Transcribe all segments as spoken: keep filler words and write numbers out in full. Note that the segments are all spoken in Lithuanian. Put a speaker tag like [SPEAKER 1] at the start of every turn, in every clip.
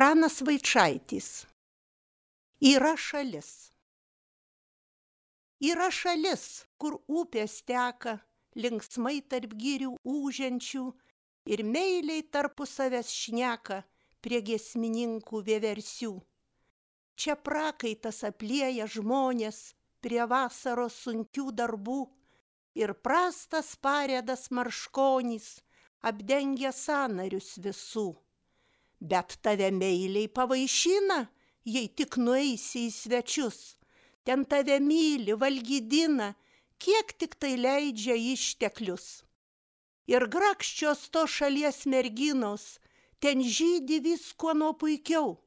[SPEAKER 1] Pranas Vaičaitis. Yra šalis. Yra šalis, kur upės teka, linksmai tarp girių ūžiančių ir meiliai tarpusavęs šneka prie giesmininkų vieversių. Čia prakaitas aplieja žmonės prie vasaros sunkių darbų ir prastas parėdas marškonys apdengia sąnarius visų. Bet tave meiliai pavaišina, jei tik nueisi į svečius. Ten tave myli, valgydina, kiek tik tai leidžia išteklius. Ir grakščios to šalies merginos ten žydi viskuo nuo puikiau.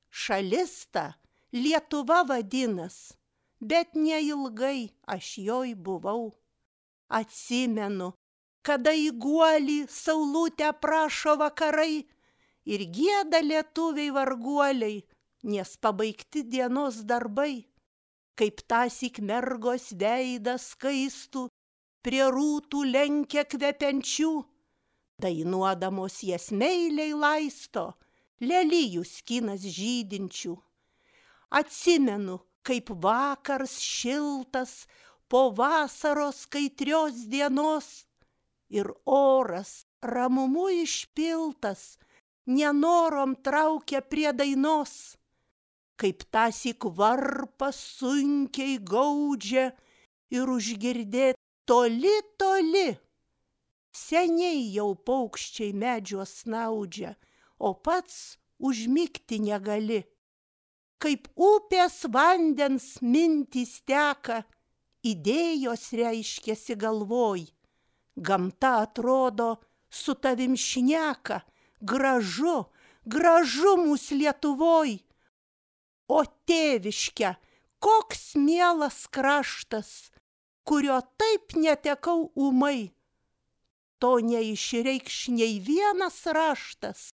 [SPEAKER 1] Šalis ta Lietuva vadinas, bet neilgai aš joj buvau. Atsimenu, kada į guolį saulutę prašo vakarai ir gieda lietuviai varguoliai, nes pabaigti dienos darbai. Kaip tąsyk mergos veidas skaistų prie rūtų lenkia kvepiančių, dainuodamos jas meiliai laisto lelijų skinas žydinčių. Atsimenu, kaip vakars šiltas po vasaros kaitrios dienos ir oras ramumu išpiltas nenorom traukia prie dainos. Kaip tąsyk varpas sunkiai gaudžia ir užgirdėt toli, toli. Seniai jau paukščiai medžiuos snaudžia, o pats užmigti negali. Kaip upės vandens mintys teka, idėjos reiškiasi galvoj. Gamta atrodo su tavim šneka, gražu, gražu mūs Lietuvoj. O tėviške, koks mielas kraštas, kurio taip netekau ūmai. To neišreikš nei vienas raštas,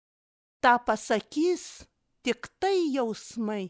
[SPEAKER 1] tą pasakys tik tai jausmai.